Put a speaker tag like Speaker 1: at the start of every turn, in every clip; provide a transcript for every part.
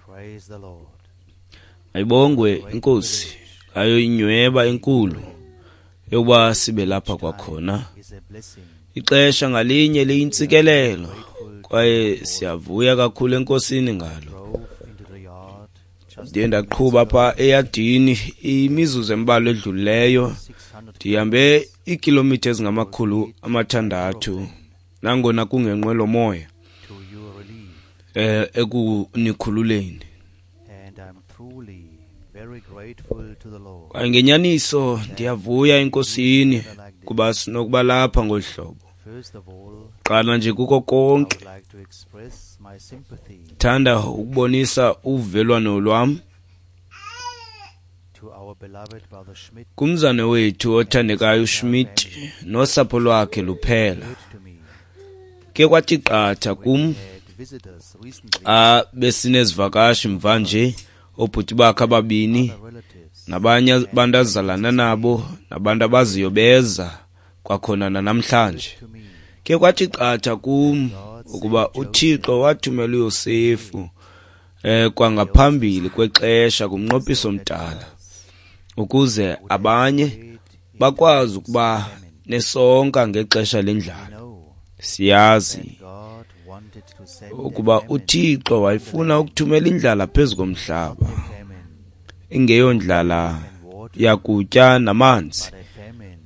Speaker 1: Praise the Lord.
Speaker 2: Ayibongwe inkosi ayo inyweba enkulu yokuba sibe lapha kwakhona.
Speaker 1: Is a blessing.
Speaker 2: Ixesha ngalinye liyintsikelelo kwaye siyavuya kakhulu enkosini ngalo.
Speaker 1: Drove into the yard just
Speaker 2: Ndiye ndaqhuba apha eyadini imizuzu embalwa edlulileyo.
Speaker 1: 600
Speaker 2: Ndihambe iikhilomitha ezingama-600 nangona kungenqwelomoya
Speaker 1: to your relief.
Speaker 2: ekunikhululeni.
Speaker 1: And I'm truly very grateful to the Lord.
Speaker 2: Kwaye ngenyaniso ndiyavuya enkosini kuba sinokuba lapha ngolu hlobo.
Speaker 1: First of all,
Speaker 2: Qala nje kuko
Speaker 1: I
Speaker 2: konke,
Speaker 1: would like to express my sympathy
Speaker 2: thanda ukubonisa uvelwano lwam
Speaker 1: to our beloved brother Schmidt.
Speaker 2: kumzane wethu othandekayo uSchmidt nosapho lwakhe luphela.
Speaker 1: Occurred to me
Speaker 2: Ke kwathi qatha kum
Speaker 1: had visitors recently,
Speaker 2: xa besinezivakashi mva nje, oobhuti bakhe ababini
Speaker 1: other relatives,
Speaker 2: nabanye abantu azalana nabo nabantu abaziyo beza kwakhona nanamhlanje.
Speaker 1: to me
Speaker 2: Ke kwathi qatha kum ukuba uThixo wathumela uYosefu kwangaphambili kwexesha kumnqophiso omdala ukuze abanye bakwazi ukuba nesonka ngexesha lendlala.
Speaker 1: know
Speaker 2: Siyazi
Speaker 1: that God wanted to send a
Speaker 2: ukuba
Speaker 1: famine,
Speaker 2: uThixo wayefuna ukuthumela indlala phezu komhlaba,
Speaker 1: a famine
Speaker 2: ingeyondlala
Speaker 1: and water,
Speaker 2: yakutya namanzi,
Speaker 1: but a famine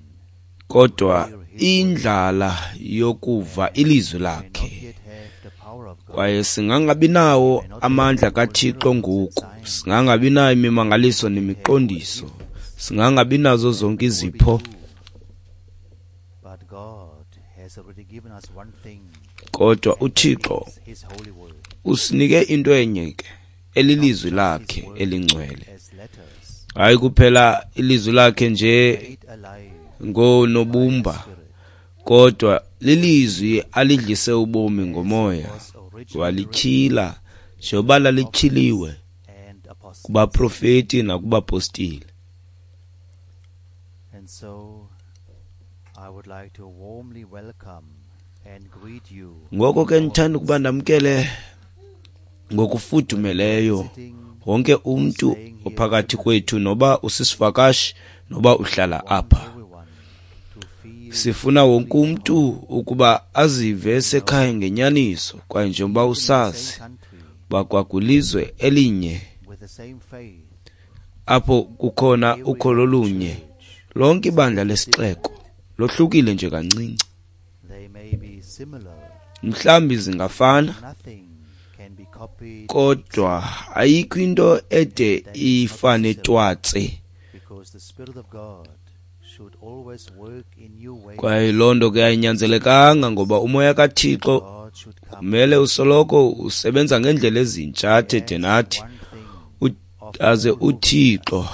Speaker 2: kodwa indlala yokuva ilizwi
Speaker 1: may not
Speaker 2: lakhe.
Speaker 1: yet have the power of God.
Speaker 2: Kwaye singangabi nawo amandla kaThixo ngoku, singangabi nayo imimangaliso nemiqondiso, singangabi nazo zonke izipho,
Speaker 1: But God has already given us one thing,
Speaker 2: kodwa uThixo
Speaker 1: is His holy word,
Speaker 2: usinike into enye ke, elilizwi lakhe elingcwele.
Speaker 1: as letters
Speaker 2: Hayi kuphela ilizwi lakhe nje
Speaker 1: made alive
Speaker 2: ngonobumba,
Speaker 1: Spirit,
Speaker 2: kodwa lilizwi alidlise ubomi ngomoya,
Speaker 1: was originally
Speaker 2: walityhila njengoba lalityhiliwe
Speaker 1: and apostles.
Speaker 2: kubaprofeti nakubapostile.
Speaker 1: And so I would like to warmly welcome and greet you
Speaker 2: Ngoko ke ndithanda ukuba ndamkele ngokufudumeleyo
Speaker 1: sitting
Speaker 2: wonke umntu ophakathi kwethu, noba usisivakashi noba uhlala apha.
Speaker 1: everyone to feel
Speaker 2: Sifuna wonke umntu ukuba azive esekhaya ngenyaniso, kwaye njengoba usazi
Speaker 1: same country
Speaker 2: uba kwakwilizwe elinye
Speaker 1: with the same faith,
Speaker 2: apho kukhona ukholo olunye, lonke ibandla lesixeko lohlukile nje kancinci.
Speaker 1: they may be similar.
Speaker 2: Mhlawumbi zingafana,
Speaker 1: Nothing can be copied
Speaker 2: kodwa ayikho into ede ifane twatse.
Speaker 1: because the Spirit of God should always work in new ways.
Speaker 2: Kwaye loo nto ke ayinyanzelekanga ngoba umoya kaThixo
Speaker 1: God should come
Speaker 2: kumele usoloko usebenza ngeendlela ezintsha athethe nathi,
Speaker 1: one thing
Speaker 2: aze uThixo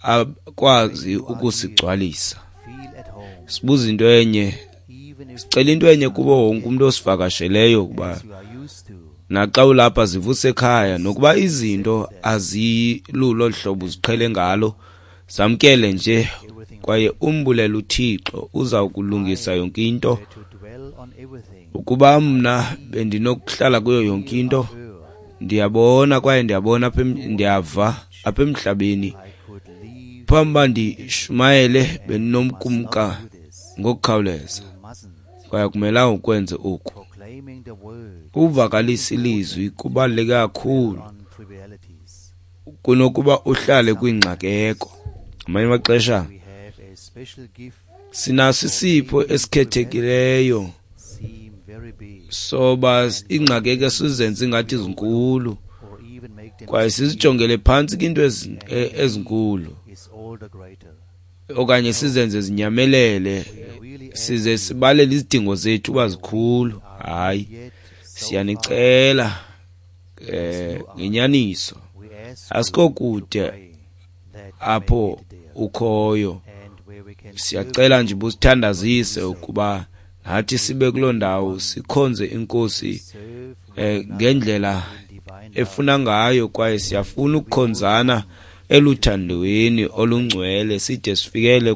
Speaker 2: akwazi ukusigcwalisa.
Speaker 1: feel at home,
Speaker 2: Sibuza into enye,
Speaker 1: even if
Speaker 2: sicela into enye kubo wonke umntu osivakasheleyo ukuba
Speaker 1: you are used to
Speaker 2: naxa ulapha zivuse ekhaya, nokuba izinto azilulo hlobo uziqhele ngalo, zamkele nje kwaye umbulele uThixo, uza kulungisa yonke into.
Speaker 1: to dwell on everything.
Speaker 2: Ukuba mna bendinokuhlala kuyo yonke into, ndiyabona kwaye ndiyabona apha ndiyava apha emhlabeni,
Speaker 1: I could leave
Speaker 2: phambi uba ndishumayele bendinomkumka
Speaker 1: this.
Speaker 2: ngokukhawuleza,
Speaker 1: You mustn't.
Speaker 2: kwaye akumelanga ukwenze oku.
Speaker 1: Proclaiming the word
Speaker 2: Uvakalisa ilizwi kubaluleke kakhulu
Speaker 1: on trivialities.
Speaker 2: kunokuba uhlale kwingxakeko. Ngamanye amaxesha
Speaker 1: We have a special gift
Speaker 2: sinaso isipho esikhethekileyo
Speaker 1: seem very big
Speaker 2: soba ingxakeko sizenze ingathi zinkulu,
Speaker 1: or even make them
Speaker 2: kwaye sizijongele phantsi kwinto ezinkulu,
Speaker 1: is all the greater.
Speaker 2: okanye sizenze zinyamelele,
Speaker 1: We really
Speaker 2: size sibalele izidingo zethu uba zikhulu. Hayi,
Speaker 1: yet so
Speaker 2: siyanicela ngenyaniso,
Speaker 1: we ask
Speaker 2: asikho kude
Speaker 1: pray that
Speaker 2: apho ukhoyo.
Speaker 1: and where we can
Speaker 2: Siyacela nje ubusithandazise ukuba nathi sibe kuloo ndawo sikhonze inkosi
Speaker 1: serve
Speaker 2: ngendlela
Speaker 1: divine
Speaker 2: efuna ngayo, kwaye siyafuna ukukhonzana eluthandweni olungcwele side sifikele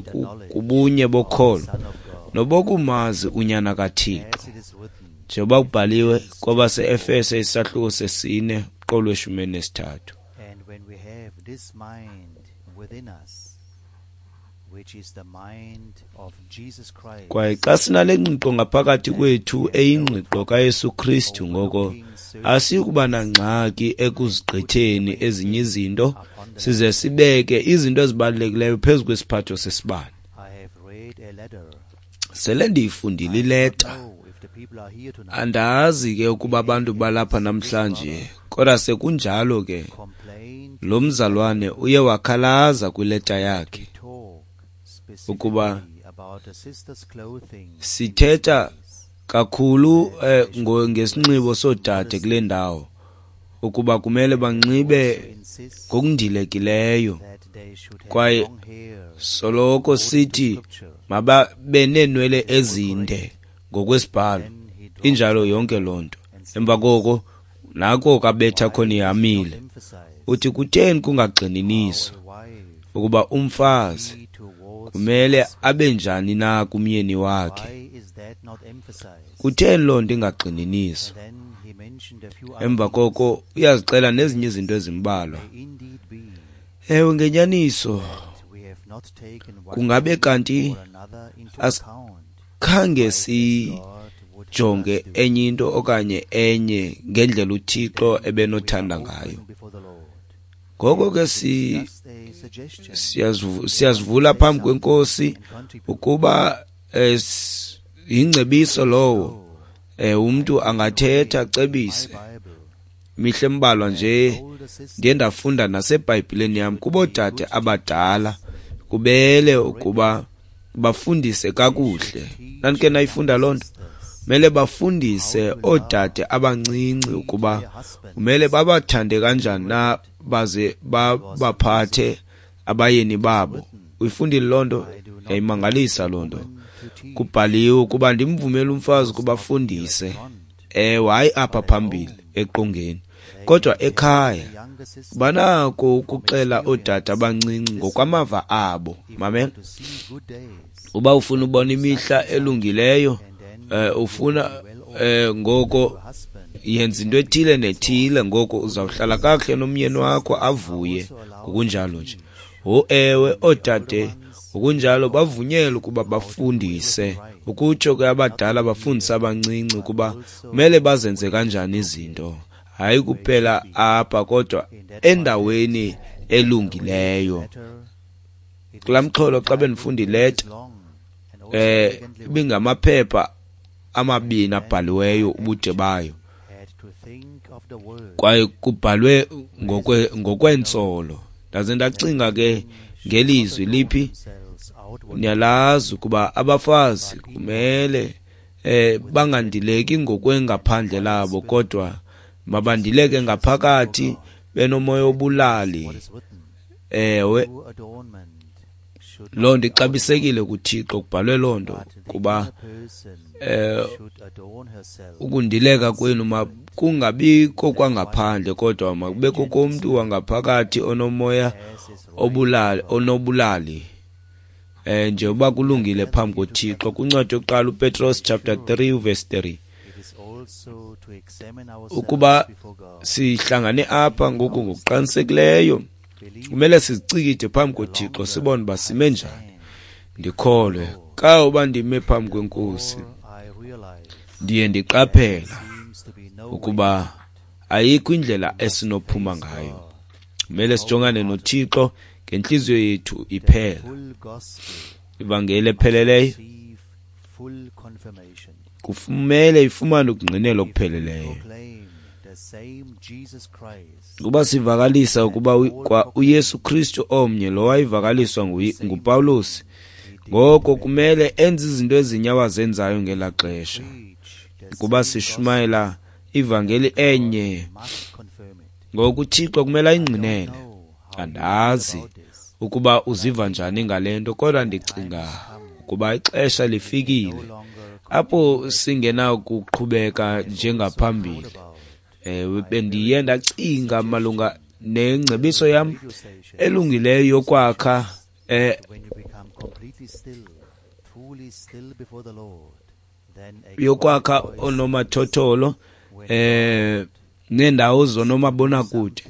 Speaker 2: kubunye bokholo
Speaker 1: Son of God
Speaker 2: nobokumazi unyana kaThixo,
Speaker 1: as it is written
Speaker 2: njengoba kubhaliwe kwabase-Efese isahluko sesine Umqolo we-13.
Speaker 1: And when we have this mind within us, which is the mind of Jesus Christ,
Speaker 2: Kwaye xa sinale ngqiqo ngaphakathi kwethu eyingqiqo kaYesu Kristu, ngoko asikuba nangxaki ekuzigqitheni ezinye izinto size sibeke izinto ezibalulekileyo phezu kwesiphatho sesibane.
Speaker 1: I have read a letter.
Speaker 2: Sele ndiyifundile ileta.
Speaker 1: I don't know if the people are here tonight.
Speaker 2: Andazi ke ukuba abantu balapha namhlanje, kodwa sekunjalo ke
Speaker 1: Complained
Speaker 2: lo mzalwane uye wakhalaza kwileta yakhe
Speaker 1: we talk
Speaker 2: ukuba
Speaker 1: specifically about the sister's clothing.
Speaker 2: sithetha kakhulu ngesinxibo soodade kule ndawo, ukuba kumele banxibe
Speaker 1: Insist
Speaker 2: ngokundilekileyo,
Speaker 1: that they should have
Speaker 2: kwaye
Speaker 1: long hair
Speaker 2: soloko sithi mababe neenwele ezinde ngokwesibhalo. Injalo yonke loo nto. Emva koko nako kabetha khona ihamile.
Speaker 1: emphasize
Speaker 2: Uthi kutheni kungagxininiswa
Speaker 1: a wife
Speaker 2: ukuba umfazi
Speaker 1: be towards
Speaker 2: kumele abe njani na kumyeni wakhe?
Speaker 1: why is that not emphasized?
Speaker 2: Kutheni loo nto ingagxininiswa?
Speaker 1: Then he mentioned a few other
Speaker 2: Emva koko uyazixela nezinye izinto ezimbalwa.
Speaker 1: may indeed be
Speaker 2: Ewe, ngenyaniso
Speaker 1: that we have not taken one
Speaker 2: kungabe kanti
Speaker 1: or another into account.
Speaker 2: khange
Speaker 1: God would have
Speaker 2: sijonge
Speaker 1: us do.
Speaker 2: enye into okanye enye ngendlela uThixo ebenothanda ngayo.
Speaker 1: Before the Lord.
Speaker 2: Ngoko ke
Speaker 1: Just a suggestion
Speaker 2: siyazivula phambi kwenkosi
Speaker 1: and contribute.
Speaker 2: ukuba yingcebiso lowo, umntu angathetha acebise.
Speaker 1: Bible.
Speaker 2: Mihle embalwa nje
Speaker 1: Older sister
Speaker 2: ndiye ndafunda naseBhayibhileni yam kuboodade abadala kubele ukuba bafundise kakuhle. Nandike nayifunda loo nto? Kumele bafundise oodade abancinci ukuba kumele babathande kanjani na baze babaphathe abayeni babo. Uyifundile loo nto? Yayimangalisa loo nto. Kubhaliwe ukuba ndimvumele umfazi ukuba afundise. Ewe, hayi apha phambili eqongeni, kodwa ekhaya
Speaker 1: younger sister
Speaker 2: banako ukuxela oodade abancinci ngokwamava abo. Mamela,
Speaker 1: to see good days
Speaker 2: uba ufuna ubona imihla elungileyo, ufuna ngoko
Speaker 1: husband
Speaker 2: yenza into ethile nethile, ngoko uzawuhlala kakuhle nomyeni wakho avuye ngokunjalo nje. Ho ewe, oodade ngokunjalo bavunyelwe ukuba bafundise, ukutsho ke abadala bafundise abancinci ukuba kumele bazenze kanjani izinto, hayi kuphela apha kodwa endaweni elungileyo. Kulaa mxholo xa bendifunda ileta,
Speaker 1: long and also elegantly
Speaker 2: ibingamaphepha amabini abhaliweyo ubude bayo,
Speaker 1: had to think of the word
Speaker 2: kwaye kubhalwe ngokwentsolo. Ndaze ndacinga ke ngelizwi liphi,
Speaker 1: themselves outward
Speaker 2: niyalazi ukuba abafazi kumele bangandileki ngokwengaphandle labo, kodwa mabandileke ngaphakathi benomoya obulali.
Speaker 1: what is written.
Speaker 2: Ewe,
Speaker 1: True adornment should
Speaker 2: loo nto ixabisekile kuThixo, kubhalwe loo nto
Speaker 1: but the
Speaker 2: kuba
Speaker 1: inner person should adorn herself
Speaker 2: ukundileka kwenu makungabikho kwangaphandle, kodwa makube kokomntu wangaphakathi onomoya
Speaker 1: as is right.
Speaker 2: obulali, onobulali. Njengoba kulungile phambi koThixo. Kwincwadi yokuqala uPetros chapter 3 verse 3.
Speaker 1: It is also to examine ourselves
Speaker 2: Ukuba
Speaker 1: before God.
Speaker 2: sihlangane apha ngoku ngokuqinisekileyo,
Speaker 1: Believe
Speaker 2: kumele sizicikide phambi koThixo sibone uba sime njani. Ndikholwe ka uba ndime phambi kwenkosi,
Speaker 1: I realize
Speaker 2: ndiye ndiqaphela
Speaker 1: seems to be no
Speaker 2: ukuba ayikho indlela esinophuma ngayo. Kumele sijongane noThixo ngentliziyo yethu iphela.
Speaker 1: full gospel
Speaker 2: Ivangeli epheleleyo
Speaker 1: receive full confirmation.
Speaker 2: kufumele ifumane ukungqinelwa okupheleleyo.
Speaker 1: Proclaim the same Jesus Christ
Speaker 2: Kuba sivakalisa ukuba kwa uYesu Kristu omnye lo wayevakaliswa nguPawulos, ngoko kumele enze izinto ezinye awazenzayo ngelaa xesha.
Speaker 1: preach the
Speaker 2: Kuba sishumayela ivangeli enye,
Speaker 1: must confirm it.
Speaker 2: ngoku uThixo kumele ayingqinele.
Speaker 1: Know how
Speaker 2: Andazi
Speaker 1: this
Speaker 2: ukuba uziva njani ngale nto, kodwa ndicinga ukuba ixesha lifikile
Speaker 1: no longer
Speaker 2: apho singenakuqhubeka njengaphambili. Ewe, bendiye ndacinga malunga nengcebiso yam
Speaker 1: radio station
Speaker 2: elungileyo yokwakha
Speaker 1: when you become completely still, truly still before the Lord, then a
Speaker 2: yokwakha
Speaker 1: quiet voice
Speaker 2: onomathotholo neendawo zonomabonakude.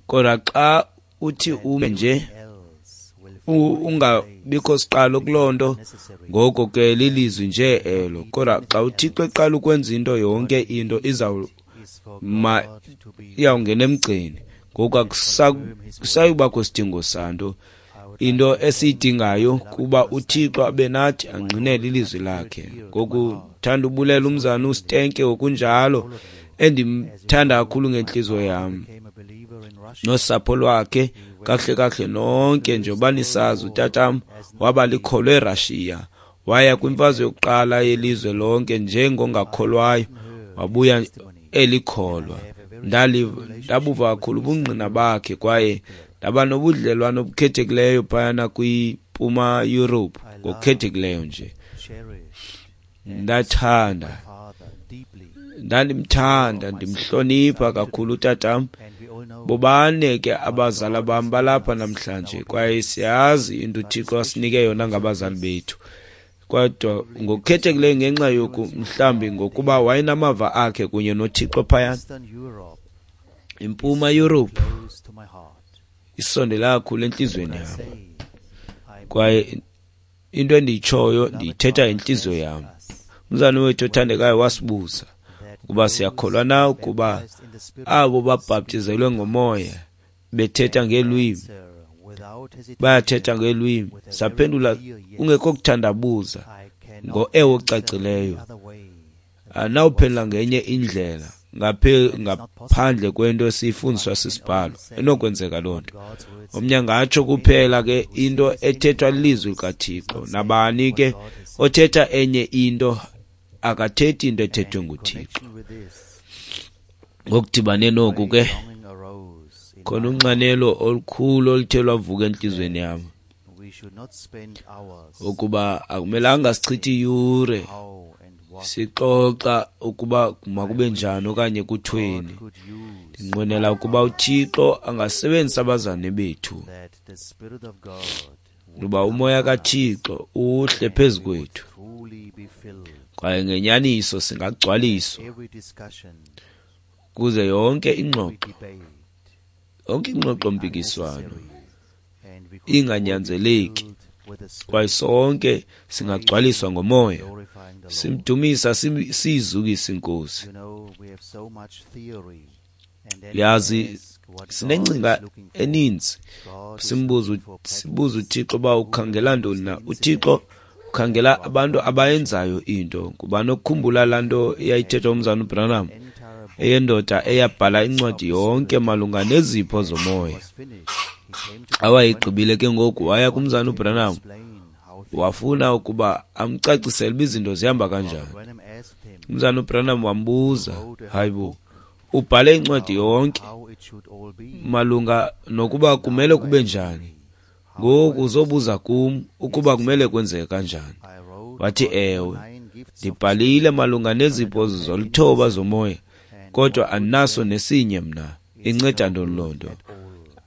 Speaker 2: Kodwa xa uthi ume nje ungabikho siqalo kuloo nto, ngoko ke lilizwi nje elo. Kodwa xa uThixo eqala ukwenza into, yonke into iyawungena emgceni. Ngoku akusayubakho sidingo santo. Into esiyidingayo kuba uThixo abe nathi angqinele ilizwi lakhe. Ngoku thanda ubulela umzana uStenke ngokunjalo, endimthanda kakhulu ngentliziyo yam nosapho lwakhe kakuhle kakuhle nonke. Njengoba nisazi, utatam waba likholwa eRashiya, waya kwimfazwe yokuqala yelizwe lonke njengongakholwayo, wabuya elikholwa. Ndabuva kakhulu ubungqina bakhe kwaye ndaba nobudlelwane obukhethekileyo phayana kwiMpuma Europe ngokukhethekileyo nje. Ndathanda, ndandimthanda, ndimhlonipha kakhulu utatam. Bobane ke abazali bam balapha namhlanje, kwaye siyazi into uThixo asinike yona ngabazali bethu. Kodwa ngokukhethekileyo ngenxa yoku, mhlawumbi ngokuba wayenamava akhe kunye noThixo phayana. IMpuma Europe isondela kakhulu entliziyweni yam, kwaye into endiyitshoyo ndiyithetha ngentliziyo yam. Umzali wethu othandekayo wasibuza ukuba siyakholwa na ukuba abo babhaptizelwe ngomoya bethetha ngeelwimi bayathetha ngeelwimi. Saphendula kungekho kuthandabuza ngo-ewe ocacileyo. Anawuphendula ngenye indlela ngaphandle kwento esiyifundiswa sisibhalo. Inokwenzeka loo nto. Omnye angatsho kuphela ke into ethethwa lilizwi likaThixo. Nabani ke othetha enye into akathethi into ethethwe nguThixo. Ngokudibane noku ke, khona unxanelo olukhulu oluthe lwavuka entliziyweni yam ukuba akumelanga sichithe iyure sixoxa ukuba makube njani okanye kuthweni. Ndinqwenela ukuba uThixo angasebenzisa abazane bethu, kuba umoya kaThixo uhle phezu kwethu, kwaye ngenyaniso singagcwaliswa kuze yonke ingxoxo, yonke ingxoxo-mpikiswano inganyanzeleki, kwaye sonke singagcwaliswa ngomoya, simdumisa, siyizukise iNkosi. Yazi, sinengcinga eninzi, sibuza uThixo uba ukhangela ntoni na. UThixo ukhangela abantu abayenzayo into. Ngubani okukhumbula laa nto eyayithethwa umzana uBranham, eyendoda eyabhala incwadi yonke malunga nezipho zomoya? Awayigqibile ke ngoku, waya kumzana uBranham, wafuna ukuba amcacisele uba izinto zihamba kanjani. Umzana uBranham wambuza, hayibo, ubhale incwadi yonke malunga nokuba kumele kube njani, ngoku uzobuza kum ukuba kumele kwenzeke kanjani? Wathi, ewe, ndibhalile malunga nezipho zolithoba zomoya, kodwa andinaso nesinye mna. Inceda ntoni loo nto?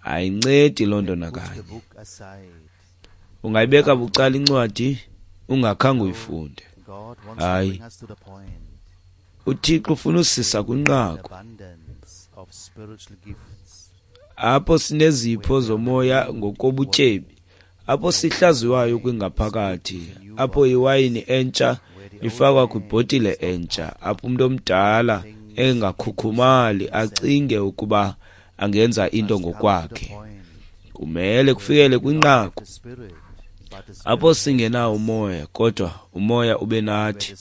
Speaker 2: Ayincedi loo nto nakanye. Ungayibeka bucala incwadi ungakhange uyifunde. Hayi, uThixo ufuna usisa kwinqaku apho sinezipho zomoya ngokobutyebi, apho sihlaziwayo kwingaphakathi, apho iwayini entsha ifakwa kwibhotile entsha, apho umuntu omdala engakhukhumali acinge ukuba angenza into ngokwakhe. Kumele kufikele kwinqaku apho singenawo umoya, kodwa umoya ube nathi,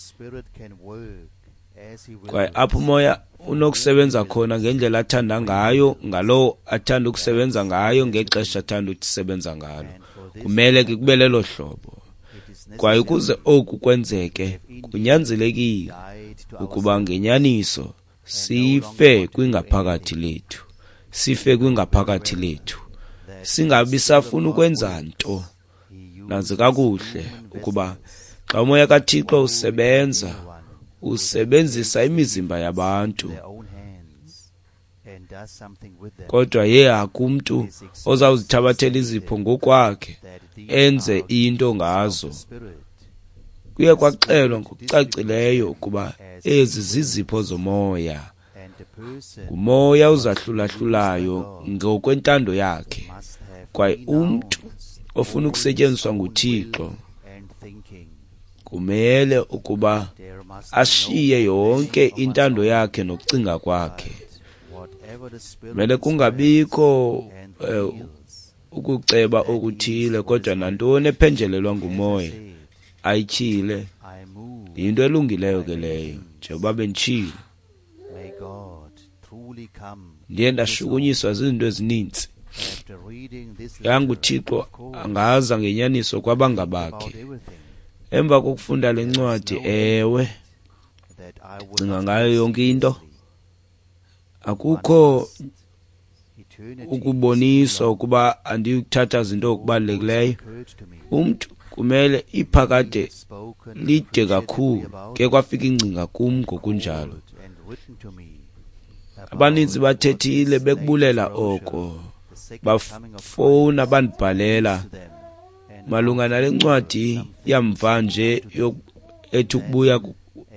Speaker 2: kwaye apho umoya unokusebenza khona ngendlela athanda ngayo, ngalowo athanda ukusebenza ngayo, ngexesha athanda ukusebenza ngalo. Kumele ke kube lelo hlobo. Kwaye ukuze oku kwenzeke, kunyanzelekile ukuba ngenyaniso sife kwingaphakathi lethu, sife kwingaphakathi lethu, singabi safuna ukwenza nto. Nanzi kakuhle ukuba xa umoya kaThixo usebenza, usebenzisa imizimba yabantu, kodwa ye akumntu ozawuzithabathela izipho ngokwakhe enze into ngazo. Kuye kwaxelwa ngokucacileyo ukuba ezi zizipho zomoya, Ngumoya ozahlulahlulayo ngokwentando yakhe. Kwaye umntu ofuna ukusetyenziswa nguThixo kumele ukuba ashiye yonke intando yakhe nokucinga kwakhe. Kumele kungabikho ukuceba okuthile, kodwa nantoni ephenjelelwa ngumoya ayityhile yinto elungileyo ke leyo. Njengoba benditshilo, ndiye ndashukunyiswa zizinto ezininzi. YanguThixo angaza ngenyaniso kwabangabakhe. Emva kokufunda le ncwadi, ewe, ndicinga ngayo yonke into. Akukho ukuboniswa ukuba andiyukuthatha zinto okubalulekileyo. Umntu kumele iphakade lide kakhulu. Ke kwafika ingcinga kum ngokunjalo. Abaninzi bathethile bekubulela oko, bafowuna bandibhalela malunga nale ncwadi yamva nje ethi ukubuya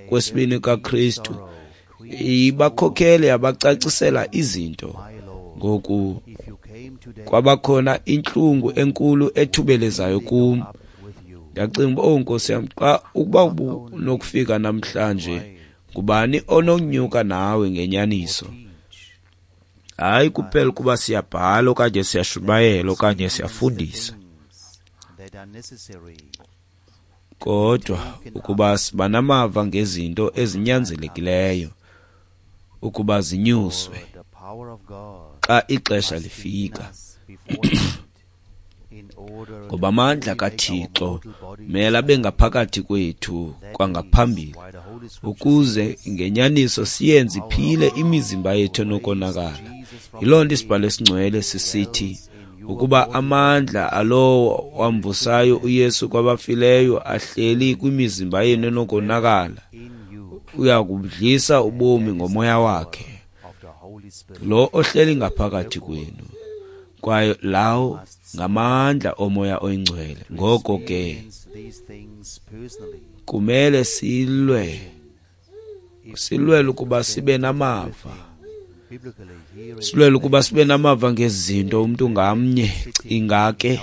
Speaker 2: kwesibini kaKristu. Ibakhokhele yabacacisela izinto. Ngoku kwabakhona intlungu enkulu ethubelezayo kum. Ndacinga uba, oh Nkosi yam, xa ukuba ubunokufika namhlanje, ngubani ononyuka nawe ngenyaniso? Hayi kuphela ukuba siyabhala okanye siyashumayela okanye siyafundisa, kodwa ukuba siba namava ngezinto ezinyanzelekileyo ukuba zinyuswe xa ixesha lifika. Ngoba amandla kaThixo mele abe ngaphakathi kwethu kwangaphambili, ukuze ngenyaniso siyenze iphile imizimba yethu enokonakala. Yiloo nto isibhalo esingcwele sisithi ukuba amandla alowo wamvusayo uYesu kwabafileyo ahleli kwimizimba yenu enokonakala, uya kubudlisa ubomi ngomoya wakhe lo ohleli ngaphakathi kwenu. Kwaye lawo ngamandla omoya oyingcwele. Ngoko ke kumele silwele ukuba sibe namava, silwele ukuba sibe namava ngezinto umntu ngamnye. Cinga ke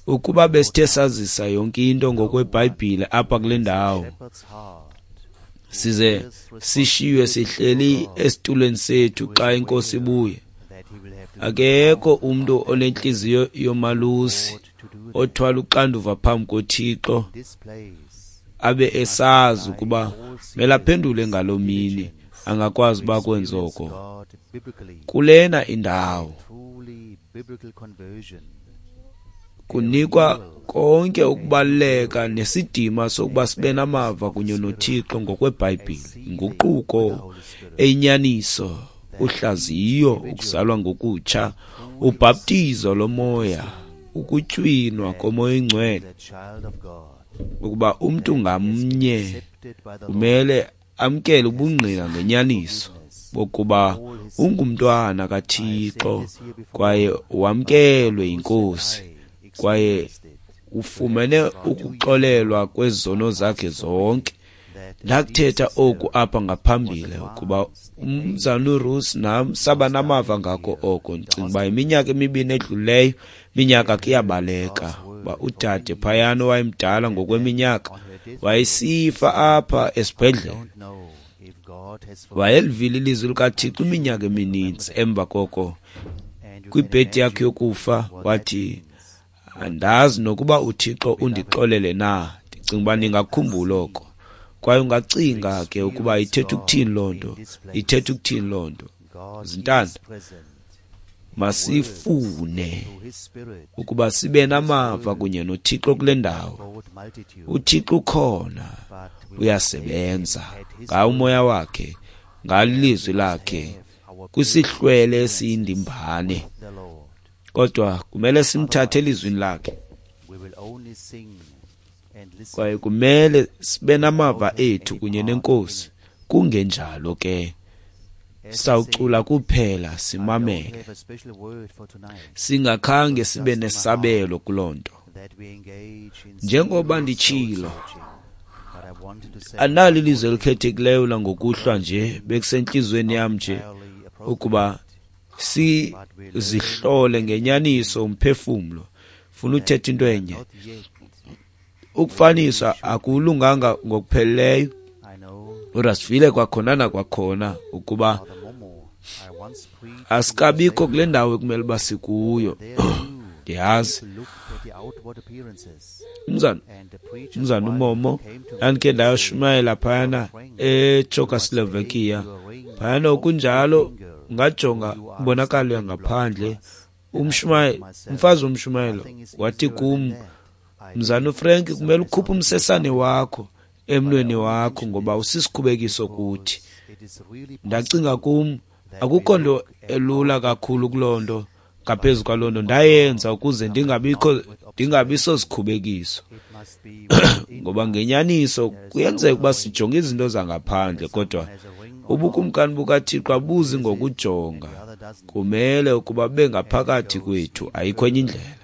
Speaker 2: ukuba besithe sazisa yonke into ngokweBhayibhile apha kule ndawo, size sishiywe sihleli esitulweni sethu xa inkosi ibuya. Akekho umntu onentliziyo yomalusi othwala uxanduva phambi koThixo abe esazi ukuba mele aphendule ngaloo mini, angakwazi uba kwenze oko. Kulena indawo kunikwa konke ukubaluleka nesidima sokuba sibe namava kunye noThixo ngokweBhayibhile, inguquko eyinyaniso, uhlaziyo, ukuzalwa ngokutsha, ubhaptizo lomoya, ukutywinwa komoya oyingcwele, ukuba umntu ngamnye kumele amkele ubungqina ngenyaniso bokuba ungumntwana kaThixo kwaye wamkelwe yiNkosi kwaye ufumene ukuxolelwa kwezono zakhe zonke. Ndakuthetha oku apha ngaphambili ukuba umzana uRusi nam saba namava ngako oko. Ndicinga uba iminyaka emibini edlulileyo, iminyaka kuyabaleka, uba udade phayana owayemdala ngokweminyaka wayesifa apha esibhedlele. Wayelivile ilizwi likaThixo iminyaka emininzi. Emva koko kwibhedi yakhe yokufa wathi, andazi nokuba uThixo undixolele na. Ndicinga uba ningakhumbula oko. Kwaye ungacinga ke ukuba ithetha ukuthini loo nto, ithetha ukuthini loo nto. Zintanda, masifune ukuba sibe namava kunye noThixo kule ndawo. uThixo ukhona, uyasebenza ngawo umoya wakhe, ngalilizwi lakhe kwisihlwele esiyindimbane, kodwa kumele simthathe elizwini lakhe. Kwaye kumele sibe namava ethu kunye nenkosi, kungenjalo ke sawucula kuphela simamele, singakhange sibe nesabelo kuloo nto. Njengoba nditshilo, Andinalo ilizwi elikhethekileyo langokuhlwa nje, bekusentliziyweni yam nje ukuba sizihlole ngenyaniso umphefumlo. Funa uthetha into enye. Ukufaniswa akulunganga ngokupheleleyo, kodwa sivile kwakhona nakwakhona ukuba asikabikho kule ndawo ekumele uba sikuyo. Ndiyazi umzana uMomo ndandikhe ndayoshumayela phayana eCzechoslovakia. Phayana okunjalo ungajonga imbonakalo yangaphandle. Umfazi womshumayelo wathi kum, Mzana uFrank, kumele ukhuphe umsesane wakho emnweni wakho ngoba usisikhubekiso kuthi. Ndacinga kum, akukho nto elula kakhulu kuloo nto ngaphezu kwaloo nto ndayenza ukuze ndingabi sosikhubekiso. Ngoba ngenyaniso kuyenzeka ukuba sijonge izinto zangaphandle, kodwa ubukumkani bukaThixo abuzi ngokujonga. Kumele ukuba bube ngaphakathi kwethu, ayikho enye indlela.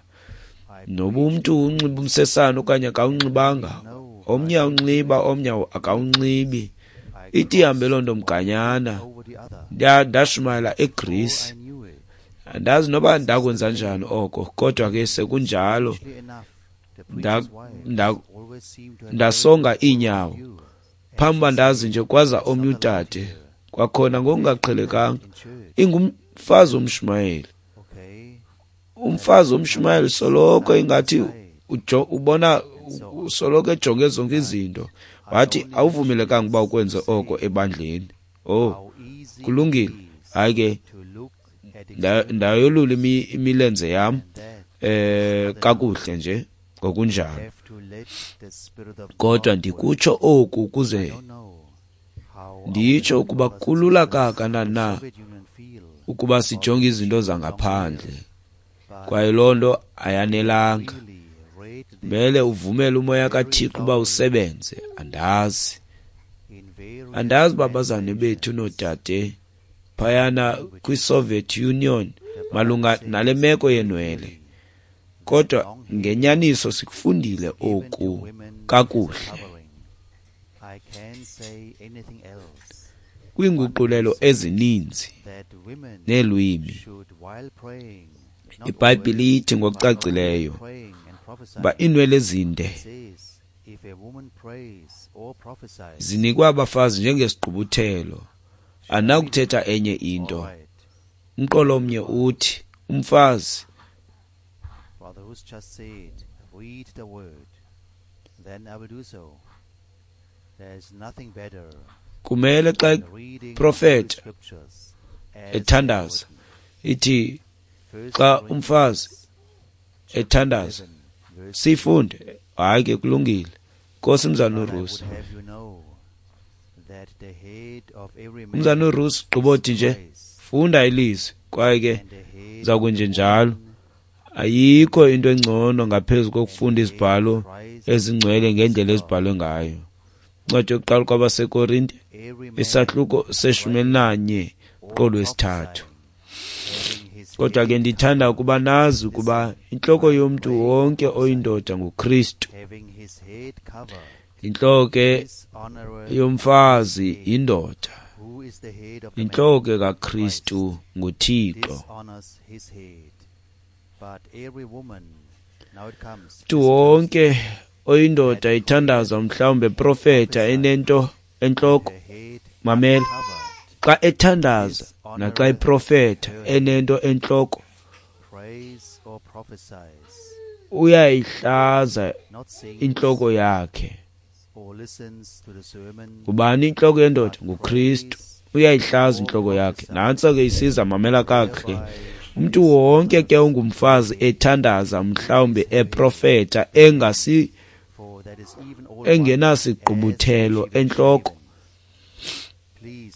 Speaker 2: Noba umntu unxiba umsesane okanye akawunxibanga, omnye awunxiba, omnye akawunxibi. Ithi ihambe loo nto mganyana. Ndashumayela eGreece. Andazi noba ndakwenza njani oko, kodwa ke sekunjalo ndasonga iinyawo. Phambi uba ndazi nje kwaza omnye udade, kwakhona ngokungaqhelekanga, ingumfazi womshumayeli. Umfazi womshumayeli soloko ingathi ubona soloko ejonge zonke izinto. Wathi awuvumelekanga uba ukwenze oko ebandleni. Oh, kulungile. Hayi ke, ndayolula imilenze yam kakuhle nje ngokunjalo. Kodwa ndikutsho oku ukuze nditsho ukuba kulula kangakanani na ukuba sijonge izinto zangaphandle, kwaye loo nto ayanelanga. Kumele uvumele umoya kaThixo uba usebenze. Andazi uba abazalwane bethu noodade phayana kwiSoviet Union malunga nale meko yenwele, kodwa ngenyaniso sikufundile oku kakuhle kwiinguqulelo ezininzi neelwimi. IBhayibhile ithi ngokucacileyo uba iinwele ezinde zinikwa abafazi njengesigqubuthelo. Andinakuthetha enye into. Umqolo omnye uthi umfazi kumele xa eprofeta ethandaza, ithi xa umfazi ethandaza sifunde. Hayi ke, kulungile. Nkosi mzana uRusi. Umzana uRusi gqibothi nje funda ilizwi, kwaye ke uza kwenje njalo. Ayikho into engcono ngaphezu kokufunda izibhalo ezingcwele ngendlela ezibhalwe ngayo. Incwadi yokuqala kwabaseKorinte, isahluko se-11 qolo wesithathu. Kodwa ke ndithanda ukuba nazi ukuba intloko yomntu wonke oyindoda nguKristu. Intloko yomfazi yindoda. Intloko kaKristu nguThixo. Mntu wonke oyindoda ithandaza mhlawumbe profeta enento entloko. Mamela, xa ethandaza naxa eprofeta enento entloko, uyayihlaza intloko yakhe. Ngubani intloko yendoda? NguKristu. Uyayihlaza intloko yakhe. Nantso ke isiza, mamela kakuhle. Umntu wonke ke ongumfazi ethandaza mhlawumbe eprofeta engenasigqubuthelo entloko,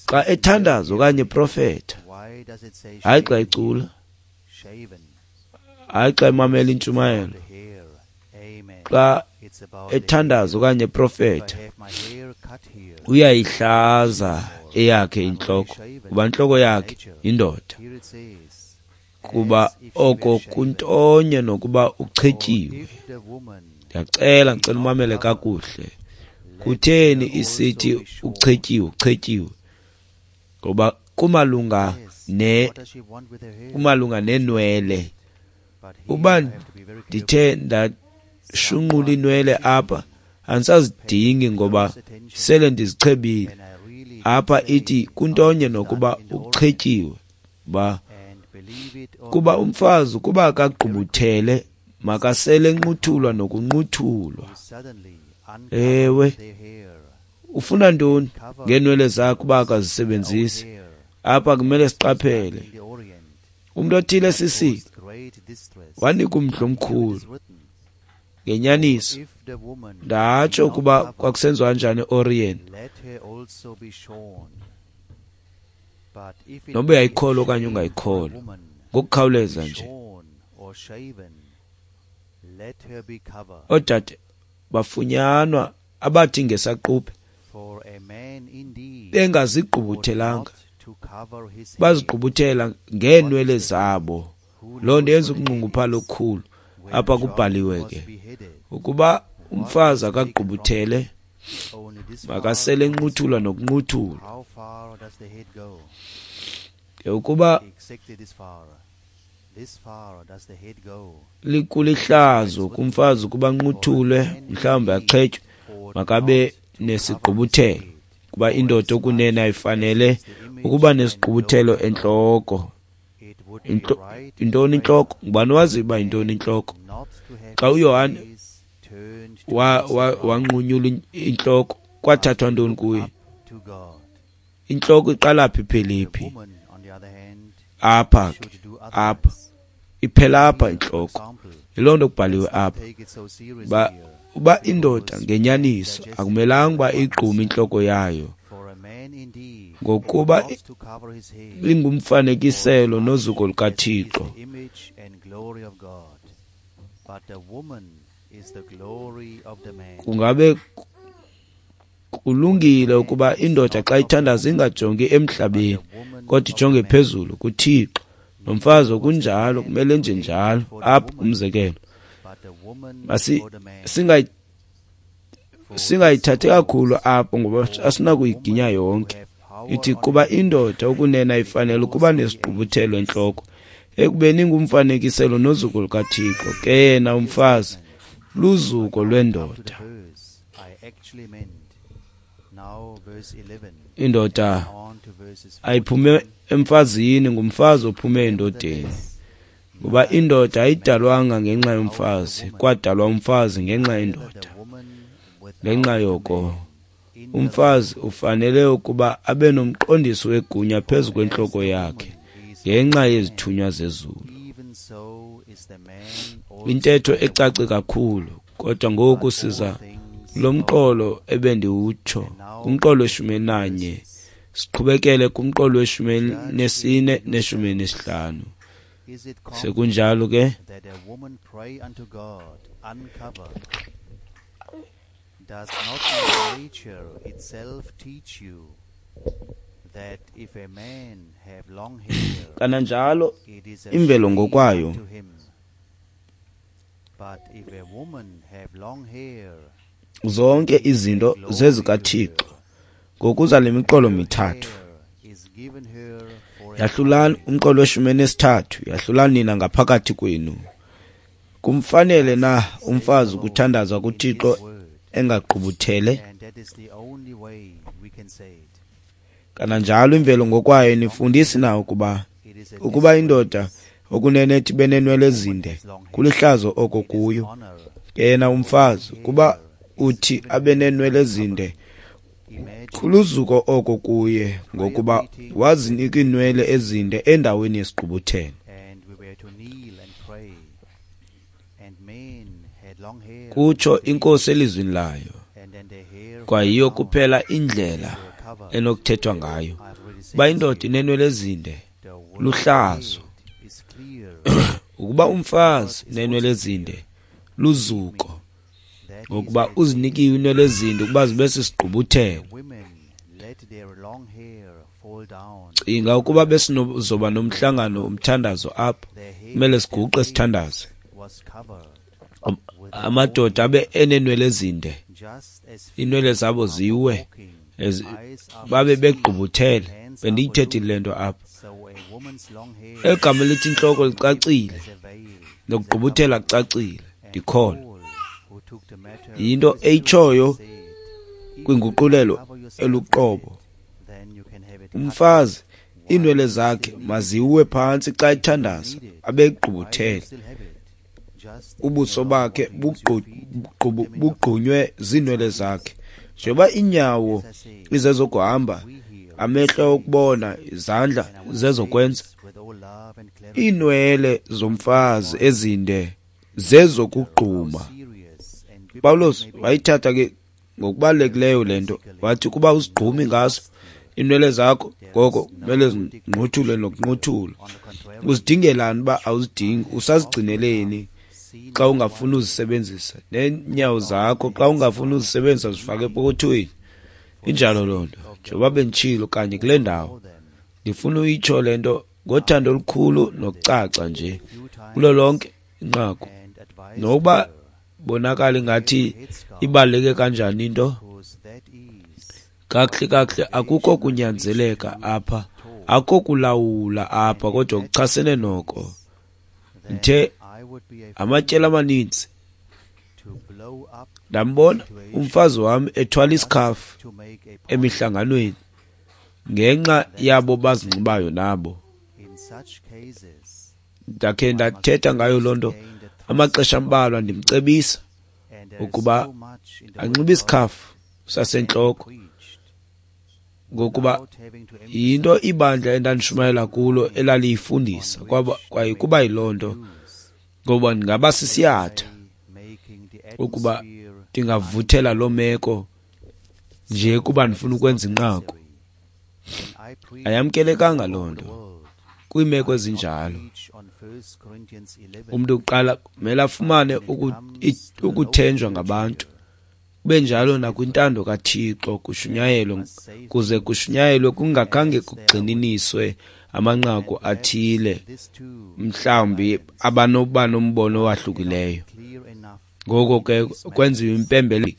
Speaker 2: xa ethandaza okanye eprofeta, hayi xa ecula, hayi xa emamela intshumayelo, xa ethandaza okanye eprofeta, uyayihlaza eyakhe intloko, kuba intloko yakhe yindoda. Kuba oko kuntonye nokuba uchetyiwe. Ndiyacela, ndicela umamele kakuhle. Kutheni isithi uchetyiwe, uchetyiwe? Ngoba kumalunga kumalunga nenwele. Uba ndithe ndashunqula inwele apha, andisazidingi ngoba sele ndizichebile. Apha ithi kuntonye nokuba uchetyiwe, ba kuba umfazi ukuba akagqubuthele makasele enquthulwa nokunquthulwa. Ewe, ufuna ntoni ngeenwele zakhe uba akazisebenzisi? Apha kumele siqaphele. Umntu othile sisi wanika umdla omkhulu ngenyaniso. Ndatsho ukuba kwakusenziwa kanjani eOrient. Noba uyayikholwa okanye ungayikholwa, ngokukhawuleza nje. Oodade bafunyanwa abathi ngesaquphe bengazigqubuthelanga, bazigqubuthela ngeenwele zabo. Loo nto yenza ukunxunguphala okukhulu. Apha kubhaliwe ke ukuba umfazi akagqubuthele makasele enquthulwa nokunquthulwa. Ke ukuba likulihlazo kumfazi ukuba anquthulwe, mhlawumbi achetywe, makabe nesigqubuthelo, kuba indoda okunene ayifanele ukuba nesigqubuthelo entloko. Intoni intloko? Ngubani owaziyo uba yintoni intloko? Xa uYohane wanqunyulwa intloko, kwathathwa ntoni kuye? Intloko iqala phi iphele phi? Apha ke, apha iphela apha intloko. Yiloo nto kubhaliwe apha. Uba indoda ngenyaniso akumelanga uba igqume intloko yayo, ngokuba ingumfanekiselo nozuko lukaThixo. Kungabe kulungile ukuba indoda xa ithandaza ingajongi emhlabeni, kodwa ijonge phezulu kuThixo. Nomfazi okunjalo kumele nje njalo. Apha umzekelo, singayithathi kakhulu apho ngoba asinakuyiginya yonke. Ithi kuba indoda okunene ayifanele ukuba nesigqubuthelo entloko, ekubeni ingumfanekiselo nozuko lukaThixo, ke yena umfazi luzuko lwendoda. Indoda ayiphume emfazini, ngumfazi ophume endodeni. Ngoba indoda ayidalwanga ngenxa yomfazi, kwadalwa umfazi ngenxa yendoda. Ngenxa yoko umfazi ufanele ukuba abe nomqondiso wegunya phezu kwentloko yakhe ngenxa yezithunywa zezulu. Intetho ecace kakhulu, kodwa ngoku siza lo mqolo ebendiwutsho, kumqolo we-11, siqhubekele kumqolo we-14 ne-15. Sekunjalo ke,
Speaker 1: does not nature itself teach you that if a man have long hair,
Speaker 2: kananjalo
Speaker 1: it is a
Speaker 2: imvelo
Speaker 1: shame
Speaker 2: ngokwayo
Speaker 1: unto him? But if a woman have long hair,
Speaker 2: zonke izinto zezikaThixo. Ngokuza le miqolo mithathu,
Speaker 1: hair is given her for a
Speaker 2: yahlulani umqolo we-13, yahlulani nina ngaphakathi kwenu. Kumfanele na umfazi ukuthandaza kuThixo engagqubuthele?
Speaker 1: And that is the only way we can say it.
Speaker 2: Kananjalo imvelo ngokwayo inifundisi na ukuba
Speaker 1: It is a
Speaker 2: ukuba indoda okunene ethi benenwele ezinde kulihlazo oko kuyo,
Speaker 1: honor.
Speaker 2: ke yena umfazi kuba uthi abe nenwele ezinde
Speaker 1: Imagine
Speaker 2: kuluzuko oko kuye, ngokuba wazinika iinwele ezinde endaweni yesigqubuthelo.
Speaker 1: and we were to kneel and pray. And men had long hair,
Speaker 2: Kutsho inkosi elizwini layo,
Speaker 1: and then their hair
Speaker 2: kwayiyo
Speaker 1: fell down,
Speaker 2: kuphela indlela
Speaker 1: were covered.
Speaker 2: enokuthethwa ngayo.
Speaker 1: I've already said
Speaker 2: Uba
Speaker 1: to
Speaker 2: indoda
Speaker 1: you,
Speaker 2: inenwele ezinde
Speaker 1: the word
Speaker 2: luhlazo,
Speaker 1: head is clear.
Speaker 2: ukuba umfazi unenwele ezinde luzuko,
Speaker 1: That is
Speaker 2: ngokuba
Speaker 1: that
Speaker 2: uzinikiwe iinwele ezinde ukuba zibe sisigqubuthelo.
Speaker 1: women let their long hair fall down.
Speaker 2: Cinga ukuba besinozoba nomhlangano umthandazo apha,
Speaker 1: Their head,
Speaker 2: kumele
Speaker 1: their
Speaker 2: siguqe
Speaker 1: face
Speaker 2: sithandaze.
Speaker 1: was covered with
Speaker 2: Amadoda abe eneenwele ezinde
Speaker 1: just
Speaker 2: Iinwele zabo ziwe, babe begqubuthele. Bendiyithethile le nto apha. Egama elithi intloko licacile, nokugqubuthela kucacile, ndikholwa yinto eyitshoyo kwinguqulelo eluqobo. Umfazi iinwele zakhe maziwe phantsi xa ethandaza, abegqubuthele, ubuso bakhe bugqunywe ziinwele zakhe. Njengoba iinyawo izezokuhamba, amehlo okubona, izandla zezokwenza, iinwele zomfazi ezinde zezokugquma. Pawulos wayithatha ke ngokubalulekileyo le nto, wathi kuba uzigqumi ngazo iinwele zakho, ngoko kumele zinquthule nokunquthula. Uzidingelani uba awuzidingi? Usazigcineleni xa ungafuni uzisebenzisa? Neenyawo zakho xa ungafuni uzisebenzisa zifake epokothweni. Injalo loo nto. Njengoba benditshilo kanye kule ndawo, ndifuna uyitsho le nto ngothando olukhulu nokucaca nje kulo lonke inqaku, nokuba bonakala ingathi ibaluleke kanjani into. Kakuhle kakuhle akukho kunyanzeleka apha, akukho kulawula apha, kodwa kuchasene noko. Ndithe amatyeli amaninzi ndambona umfazi wam ethwala isikhafu emihlanganweni ngenxa yabo bazinxibayo nabo. Ndakhe ndathetha ngayo loo nto amaxesha ambalwa, ndimcebisa ukuba anxibe isikhafu sasentloko, ngokuba yinto ibandla endandishumayela kulo elaliyifundisa, kwaye kuba yiloo nto, ngoba ndingaba sisiyatha ukuba ndingavuthela loo meko nje kuba ndifuna ukwenza inqaku. Ayamkelekanga loo nto kwiimeko ezinjalo. Umntu kuqala kumele afumane ukuthenjwa ngabantu, kube njalo nakwintando kaThixo, kushunyayelwe, kuze kushunyayelwe kungakhange kugxininiswe amanqaku athile, mhlawumbi abanokuba nombono owahlukileyo. Ngoko ke kwenziwe impembelelo.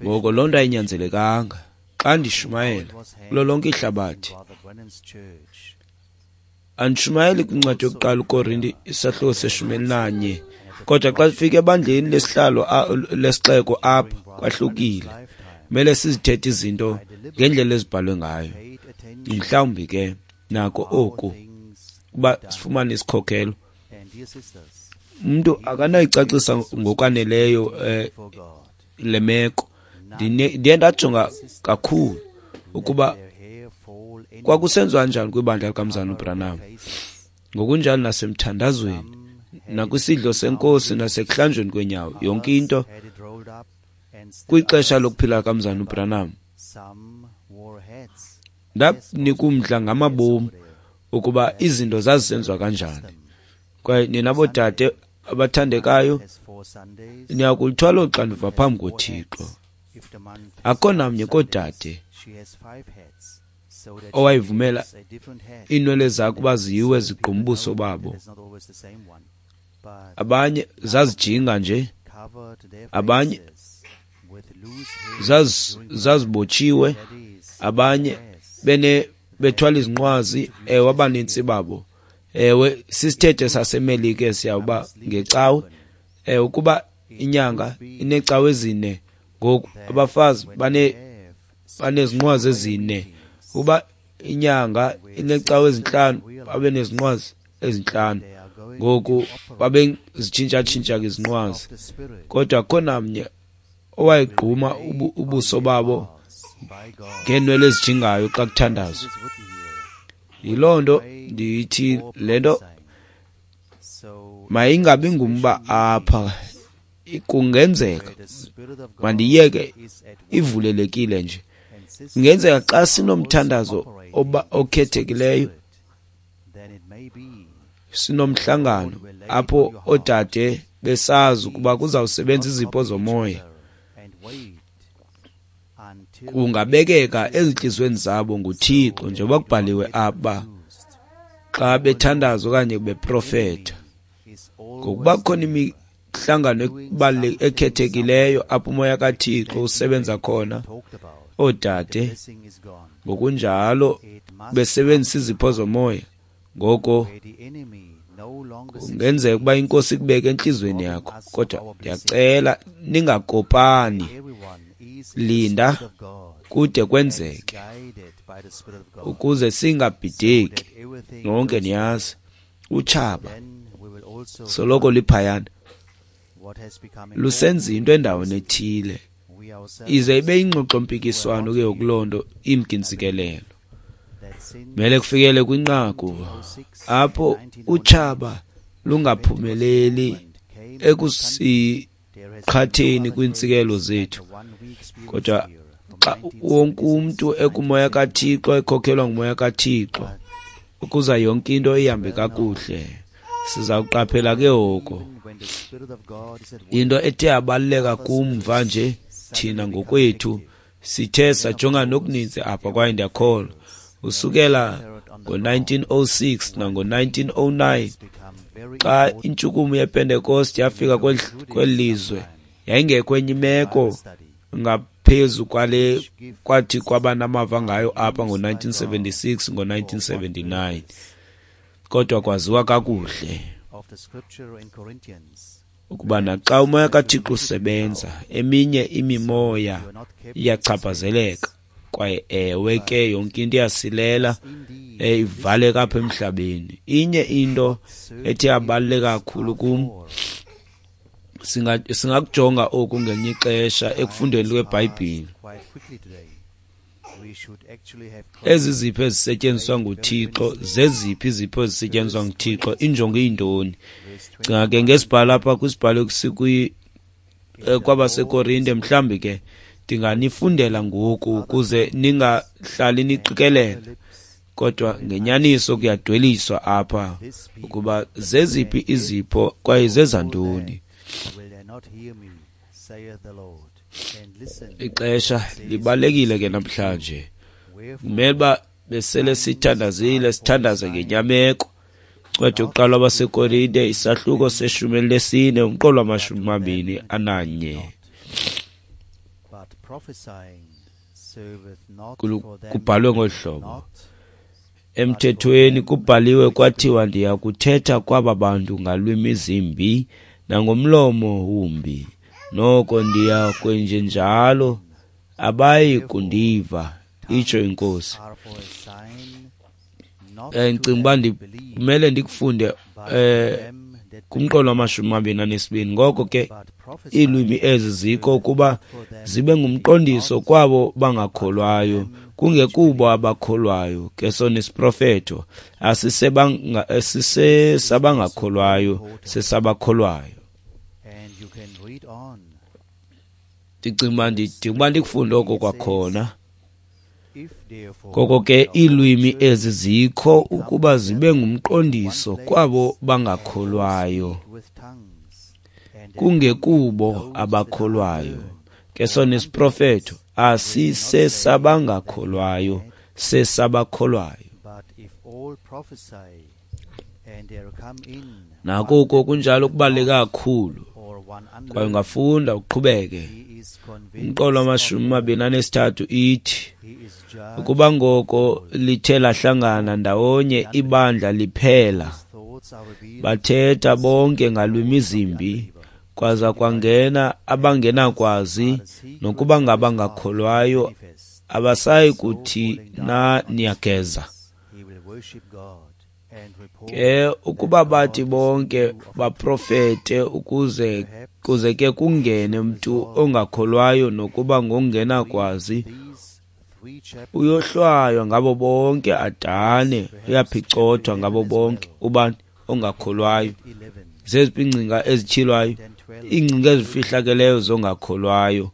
Speaker 2: Ngoko loo nto ayinyanzelekanga. Xa ndishumayela kulo lonke ihlabathi, andishumayeli kwincwadi yokuqala uKorinte isahluko se-11, kodwa xa sifika ebandleni lesihlalo lesixeko apha kwahlukile. Kumele sizithethe izinto ngendlela ezibhalwe ngayo. Mhlawumbi ke nako oku kuba sifumane isikhokelo. Umuntu akanayicacisa ngokwaneleyo le meko. Ndiye ndajonga kakhulu ukuba kwakusenziwa njani kwibandla likaMzalwana uBranham, ngokunjalo nasemthandazweni, nakwisidlo senkosi, nasekuhlanjweni kweenyawo, yonke into kwixesha lokuphila kaMzalwana uBranham. Ndanika umdla ngamabomu ukuba izinto zazisenziwa kanjani. Kwaye nina boodade abathandekayo, niyakulithwala uxanduva phambi koThixo. Akho namnye koodade owayivumela iinwele zakhe uba ziwe zigqume ubuso babo. Abanye zazijinga nje, abanye zazibotshiwe, abanye bethwala izinqwazi. Ewe, abanintsi babo. Ewe, sisithethe saseMelika esiyawuba ngecawe. Ewe, ukuba inyanga ineecawe ezine, ngoku abafazi banezinqwazi ezine. Uba inyanga ineecawe ezintlanu, babe nezinqwazi ezintlanu. Ngoku babe zitshintsha-tshintsha ke izinqwazi, kodwa akho namnye owayegquma ubuso babo ngeenwele ezijingayo xa kuthandazwa. Yiloo nto ndithi le nto mayingabi ngumba apha. Kungenzeka, mandiyeke ivulelekile nje. Kungenzeka xa sinomthandazo okhethekileyo, sinomhlangano apho oodade besazi ukuba kuzawusebenza izipho zomoya, kungabekeka ezintliziyweni zabo nguThixo, njengoba kubhaliwe apha, xa bethandaza okanye beprofetha. Ngokuba kukhona yimihlangano ekhethekileyo apho umoya kaThixo usebenza khona. Oodade ngokunjalo besebenzisa izipho zomoya. Ngoko kungenzeka ukuba iNkosi ikubeke entliziyweni yakho, kodwa ndiyacela ningakopani, linda kude kwenzeke ukuze singabhideki. Nonke niyazi utshaba soloko liphayana lusenza into endaweni ethile, ize ibe ingxoxo-mpikiswano ke kuloo nto imkintsikelelo. Mele kufikele kwinqaku apho utshaba lungaphumeleli ekusiqhatheni kwiintsikelo zethu, kodwa xa wonke umntu ekumoya kaThixo, ekhokhelwa ngumoya kaThixo, ukuza yonke into ihambe kakuhle. Siza kuqaphela ke oko. Into ethe yabaluleka kumva nje thina ngokwethu sithe sajonga nokuninzi apha, kwaye ndiyakholwa usukela ngo-1906 nango-1909 xa intshukumo yePentecost yafika kweli lizwe, yayingekho enye imeko ngaphezu kwale kwathi kwaba namava ngayo apha ngo-1976 ngo-1979, kodwa kwaziwa kakuhle ukuba naxa umoya kaThixo usebenza, eminye imimoya iyachaphazeleka, kwaye ewe ke yonke into iyasilela, ivaleka apha emhlabeni. Inye into ethe yabaluleka kakhulu kum, singakujonga oku ngelinye ixesha ekufundeni kweBhayibhile. Ezi zipho ezisetyenziswa nguThixo, zeziphi izipho ezisetyenziswa nguThixo, injongo iyintoni? Cinga ke ngesibhalo apha kwisibhalo kwabaseKorinte, mhlawumbi ke ndinganifundela ngoku ukuze ningahlali niqikelela, kodwa ngenyaniso kuyadweliswa apha ukuba zeziphi izipho kwaye zezantoni. Ixesha libalulekile ke namhlanje. Kumele uba besele sithandazile, sithandaze ngenyameko. Incwadi yokuqala kwabaseKorinte, isahluko se-14, umqolo wama-21. Kubhalwe ngolu hlobo: emthethweni kubhaliwe kwathiwa, ndiya kuthetha kwaba bantu ngalwimi zimbi nangomlomo wumbi, noko ndiya kwenjenjalo, abayi kundiva, itsho iNkosi. Ndicinga uba kumele ndikufunde kumqolo wama-22. Ngoko ke iilwimi ezi zikho ukuba zibe ngumqondiso kwabo bangakholwayo, kungekubo abakholwayo. Ke sona isiprofetho asisesabangakholwayo, sesabakholwayo. Ndicinga uba ndikufunde oko kwakhona. Ngoko ke iilwimi ezi zikho ukuba zibe ngumqondiso kwabo bangakholwayo, kungekubo abakholwayo. Ke sona isiprofetho asisesabangakholwayo, sesabakholwayo. Nako kunjalo kubaluleke kakhulu, kwaye ungafunda uqhubeke. Umqolo wama-23 ithi, ukuba ngoko lithe lahlangana ndawonye ibandla liphela, bathetha bonke ngalwimi zimbi, kwaza kwangena abangenakwazi nokuba ngabangakholwayo, abasayi kuthi na niyageza. Ke ukuba bathi bonke baprofete ukuze kuze ke kungene mntu ongakholwayo nokuba ngongenakwazi, uyohlwaywa ngabo bonke adane, uyaphicothwa ngabo bonke ubani ongakholwayo. Zeziphi iingcinga ezityhilwayo? Iingcinga ezifihlakeleyo zongakholwayo.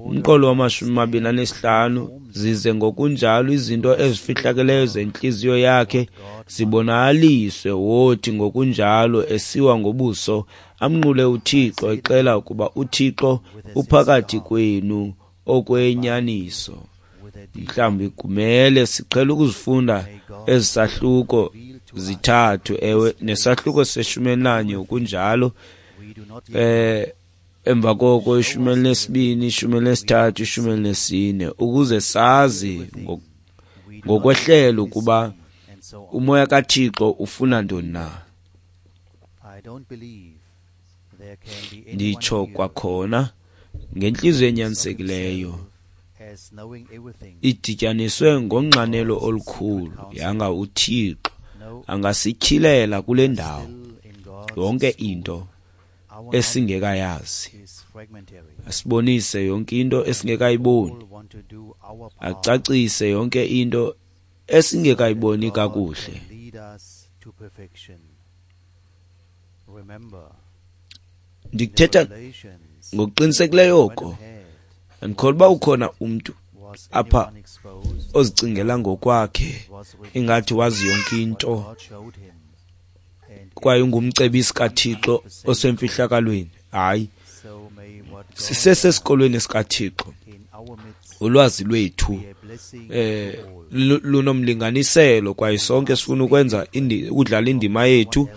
Speaker 2: Umqolo wama-25, zize ngokunjalo izinto ezifihlakeleyo zentliziyo yakhe zibonakaliswe, wothi ngokunjalo esiwa ngobuso amnqule uThixo, exela ukuba uThixo uphakathi kwenu okwenyaniso. Mhlawumbi kumele siqhele ukuzifunda ezisahluko zithathu, ewe, nesahluko se-11 kunjalo. Emva koko 12, 13, 14, ukuze sazi ngokwehlelo ukuba umoya kaThixo ufuna ntoni na. Nditsho kwakhona ngentliziyo enyanisekileyo idityaniswe ngonxanelo olukhulu, yanga uThixo angasityhilela kule ndawo yonke into esingekayazi, asibonise yonke into esingekayiboni, acacise yonke into esingekayiboni kakuhle. Ndikuthetha ngokuqinisekileyo oko. Andikholwa uba ukhona umntu apha ozicingela ngokwakhe ingathi wazi yonke into kwaye ungumcebisi kaThixo osemfihlakalweni. Hayi, sisesesikolweni sikaThixo. Ulwazi lwethu lunomlinganiselo, kwaye sonke sifuna ukwenza ukudlala indima yethu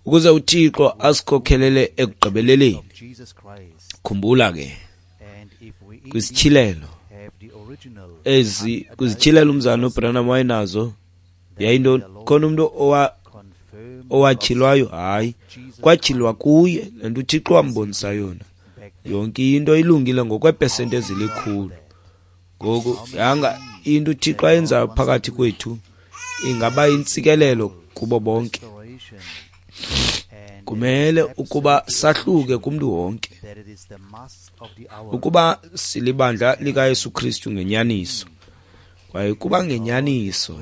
Speaker 2: ukuze uThixo asikhokhelele ekugqibeleleni. Khumbula ke kwisityhilelo ezi, kwizityhilelo umzana uBranham wayenazo, yayintoni? Khona umntu owatyhilwayo? Hayi, kwatyhilwa kuye le nto uThixo wambonisa yona. Yonke into ilungile ngokweepesenti ezilikhulu. Ngoku yanga into uThixo ayenzayo phakathi kwethu ingaba intsikelelo kubo bonke. Kumele ukuba sahluke kumntu wonke, ukuba silibandla likaYesu Kristu ngenyaniso, kwaye kuba ngenyaniso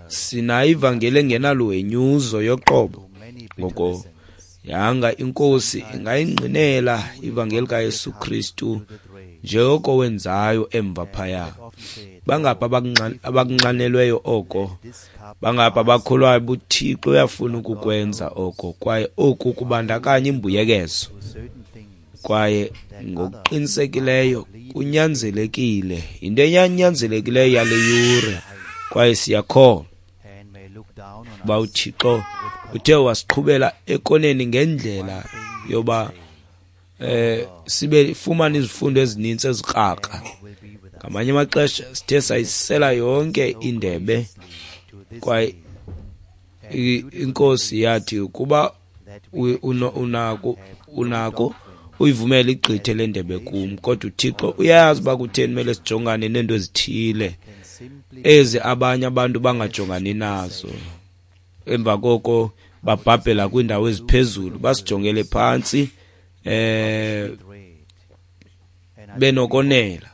Speaker 2: sinayo ivangeli engenaluhenyuzo yoqobo. Ngoko yanga inkosi ingayingqinela ivangeli kaYesu Kristu njengoko wenzayo emva phaya. Bangapha abakunxanelweyo oko, bangapha abakholwayo buThixo uyafuna ukukwenza oko, kwaye oku kubandakanya imbuyekezo, kwaye ngokuqinisekileyo kunyanzelekile, yinto enyanzelekileyo yale yure, kwaye siyakholwa uba uThixo uthe wasiqhubela ekoneni ngendlela yoba sibe fumana izifundo ezininzi ezikrakra. Ngamanye amaxesha sithe sayisela yonke indebe, kwaye inkosi yathi ukuba unako uyivumela igqithe le ndebe kum, kodwa uThixo uyayazi uba kutheni kumele sijongane neento ezithile ezi abanye abantu bangajongani nazo. Emva koko babhabhela kwiindawo eziphezulu, basijongele phantsi benokonela.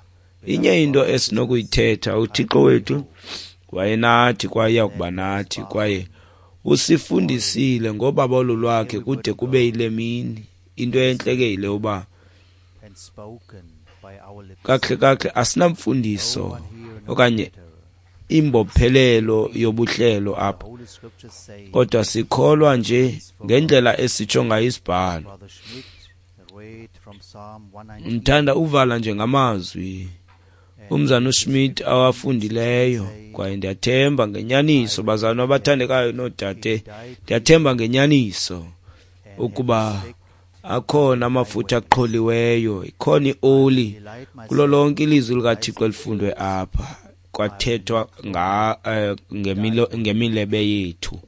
Speaker 2: Inye into esinokuyithetha, uThixo wethu wayenathi kwaye uyakuba nathi, kwaye usifundisile ngobabalo lwakhe kude kube yile mini. Into entle ke yile uba kakuhle kakuhle asinamfundiso okanye imbophelelo yobuhlelo apha, kodwa sikholwa nje ngendlela esitsho ngayo isibhalo. Ndithanda uvala nje ngamazwi umzana uSmith awafundileyo, kwaye ndiyathemba ngenyaniso, bazalwane abathandekayo noodade, ndiyathemba ngenyaniso ukuba akhona amafutha aqholiweyo, ikhona ioli kulo lonke ilizwi likaThixo elifundwe apha, kwathethwa ngemilebe yethu.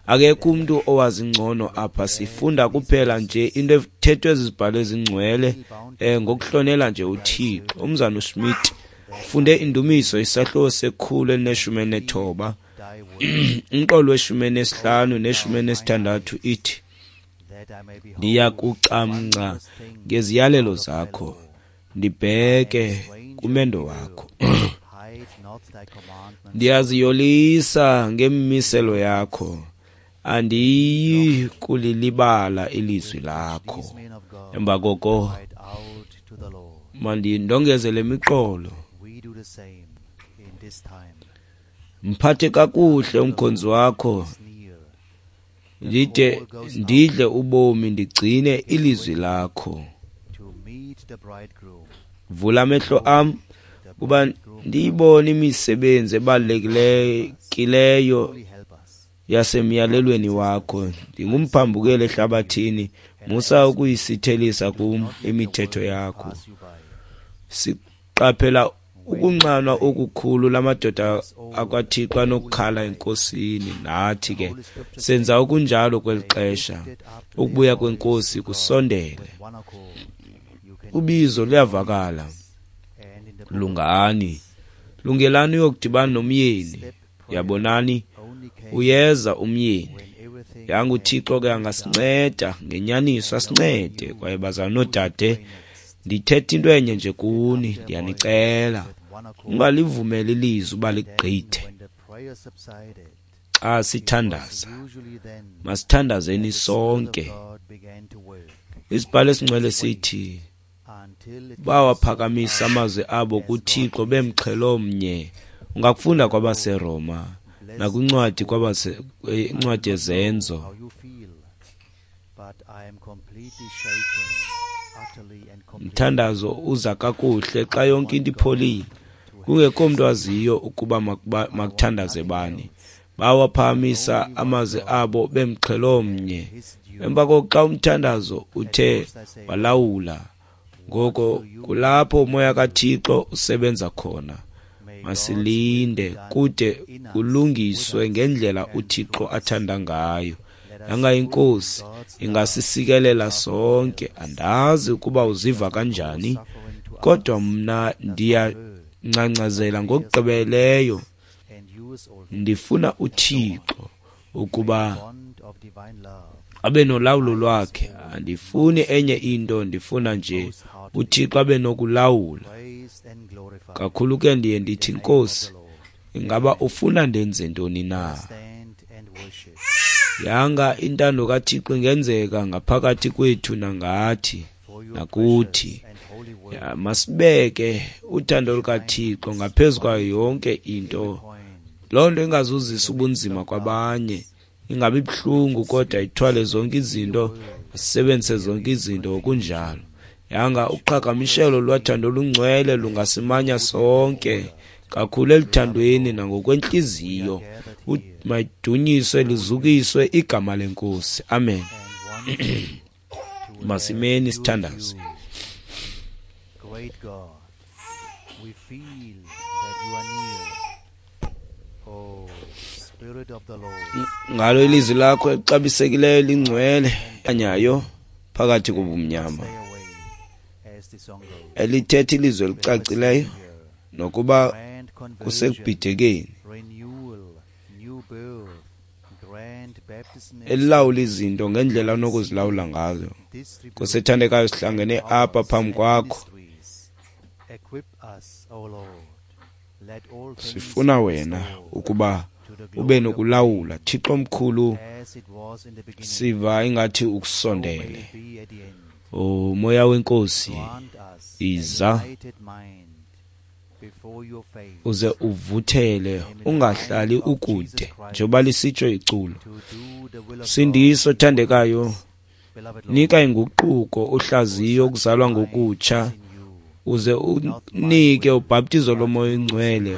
Speaker 2: Akekho umuntu owazi ngcono apha, sifunda kuphela nje into ethethwe zizibhalo ezingcwele ngokuhlonela nje uThixo. Umzana uSmith funde indumiso isahluko se-119, umqolo we-15 ne-16 ithi, ndiyakucamngca ngeziyalelo zakho, ndibheke kumendo wakho. Ndiyaziyolisa ngemmiselo yakho, andiyi kulilibala ilizwi lakho. Emva koko mandindongeze le miqolo. Mphathe kakuhle umkhonzi wakho, ndide ndidle ubomi, ndigcine ilizwi lakho. Vula amehlo am kuba ndiyibone imisebenzi ebalulekileyo yasemyalelweni wakho. Ndingumphambukeli ehlabathini, musa ukuyisithelisa kum imithetho yakho. Siqaphela ukunxanwa okukhulu lamadoda akwaThixo anokukhala enkosini. Nathi ke senza okunjalo kweli xesha. Ukubuya kwenkosi kusondele, ubizo luyavakala. Lungani, lungelani uyokudibana nomyeni. Yabonani, uyeza umyeni. Yanga uThixo ke angasinceda ngenyaniso, asincede. Kwaye bazalwane noodade, ndithetha into enye nje kuni, ndiyanicela, ungalivumeli ilizwi uba ligqithe. Xa sithandaza, masithandazeni sonke. Isibhalo esingcwele sithi bawaphakamisa amazwi abo kuThixo bemxhelo mnye. Ungakufunda kwabaseRoma nakwincwadi incwadi yeZenzo. Umthandazo uza kakuhle xa yonke into ipholile, kungekho mntu aziyo ukuba makuthandaze bani. Bawaphakamisa amazwi abo bemxhelo mnye. Emva koko xa umthandazo uthe walawula, ngoko kulapho umoya kaThixo usebenza khona. Masilinde kude kulungiswe ngendlela uThixo athanda ngayo. Yanga inkosi ingasisikelela sonke. Andazi ukuba uziva kanjani, kodwa mna ndiyangcangcazela ngokugqibeleyo. Ndifuna uThixo ukuba abe nolawulo lwakhe. Andifuni enye into, ndifuna nje uThixo abe nokulawula. Kakhulu ke ndiye ndithi, Nkosi, ingaba ufuna ndenze ntoni na? Yanga intando kaThixo ingenzeka ngaphakathi kwethu nangathi nakuthi. Masibeke uthando lukaThixo ngaphezu kwayo yonke into. Loo nto ingazuzisa ubunzima kwabanye, ingabi buhlungu, kodwa ithwale zonke izinto, sisebenzise zonke izinto ngokunjalo. Yanga uqhagamshelo lwathando olungcwele lungasimanya sonke kakhulu eluthandweni nangokwentliziyo. Mayidunyiswe lizukiswe igama lenkosi. Amen. Masimeni sithandaze.
Speaker 1: Great God, we feel that you are near. Oh, Spirit of the Lord.
Speaker 2: Ngalo ilizwi lakho elixabisekileyo lingcwele anyayo phakathi kobumnyama, elithetha ilizwi elicacileyo nokuba kusekubhidekeni, elilawula izinto ngendlela onokuzilawula ngazo. Nkosi ethandekayo, sihlangene apha phambi kwakho, sifuna wena ukuba ube nokulawula. Thixo omkhulu, siva ingathi ukusondele. O moya wenkosi, iza uze uvuthele, ungahlali ukude, njengoba lisitsho iculo. Sindiso thandekayo, nika inguquko, uhlaziyo, ukuzalwa ngokutsha, uze unike ubhaptizo lomoya oyingcwele,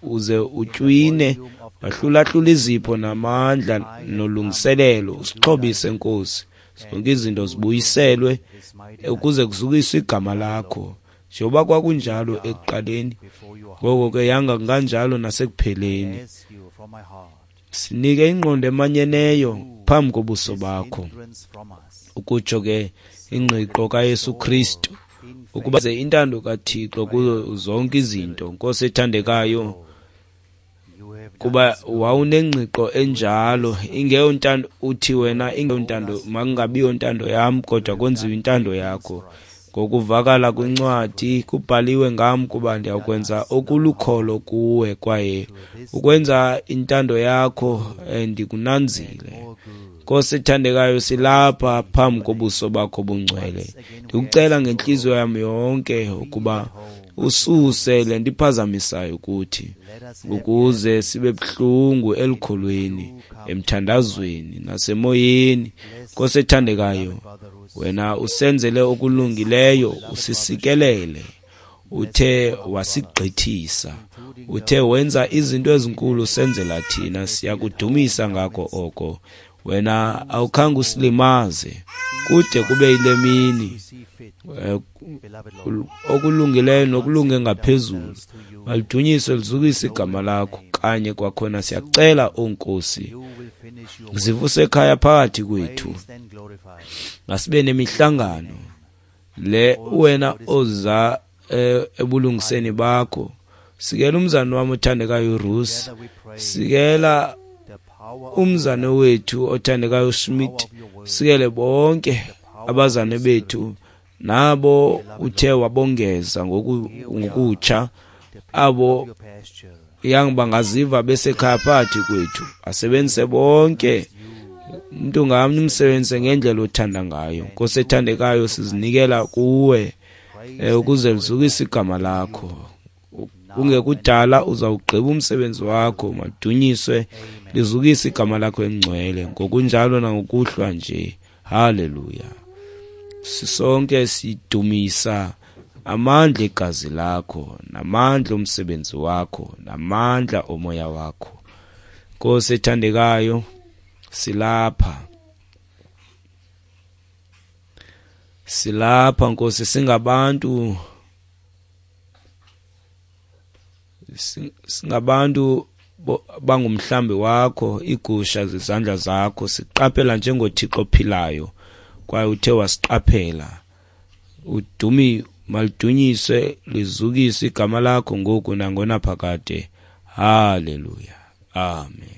Speaker 2: uze utywine wahlulahlula izipho namandla nolungiselelo, usixhobise Nkosi, zonke izinto zibuyiselwe ukuze kuzukiswe igama lakho, njengoba kwakunjalo ekuqaleni, ngoko ke yanga kunganjalo nasekupheleni. Sinike ingqondo emanyeneyo phambi kobuso bakho, ukutsho ke ingqiqo kaYesu Kristu, ukuba ze intando kaThixo kuzo zonke izinto. Nkosi ethandekayo, kuba wawunengqiqo enjalo, ingeyontando uthi wena ingeyontando, makungabiyo ntando yam, kodwa kwenziwe intando yakho. Ngokuvakala kwincwadi kubhaliwe ngam kuba ndiyakwenza okulukholo kuwe, kwaye ukwenza intando yakho ndikunanzile. Nkosi ethandekayo, silapha phambi kobuso bakho bungcwele. Ndikucela ngentliziyo yam yonke ukuba ususe le nto iphazamisayo kuthi, ukuze sibe buhlungu elukholweni, emthandazweni nasemoyeni. Nkosi ethandekayo, wena usenzele okulungileyo, usisikelele, Uthe wasigqithisa, uthe wenza izinto ezinkulu senzela thina. Siyakudumisa ngako oko. Wena awukhange usilimaze kude kube yile mini. Okulungileyo nokulunge ngaphezulu, malidunyiswe lizukise igama lakho. Kanye kwakhona siyacela, o Nkosi, zivuse ekhaya phakathi kwethu. Masibe nemihlangano le wena oza ebulungiseni bakho. Sikela umzane wami othandekayo uRusi, sikela umzane wethu othandekayo uSmith, sikele bonke abazane bethu nabo uthe wabongeza ngokutsha, abo yang bangaziva besekhaya phakathi kwethu. Asebenzise bonke, umuntu ngamnye umsebenzise ngendlela othanda ngayo. Nkosi ethandekayo, sizinikela kuwe ukuze lizukise igama lakho. Kungekudala uzawugqiba umsebenzi wakho. Madunyiswe lizukise igama lakho elingcwele ngokunjalo nangokuhlwa nje. Haleluya. Sisonke sidumisa amandla egazi lakho, namandla omsebenzi wakho, namandla omoya wakho. Nkosi ethandekayo, silapha, silapha Nkosi, singabantu, singabantu bangumhlambi wakho, igusha zezandla zakho. Siqaphela njengoThixo ophilayo, kwaye uthe wasiqaphela. Udumi malidunyiswe lizukiswe igama lakho ngoku nangonaphakade. Haleluya, amen.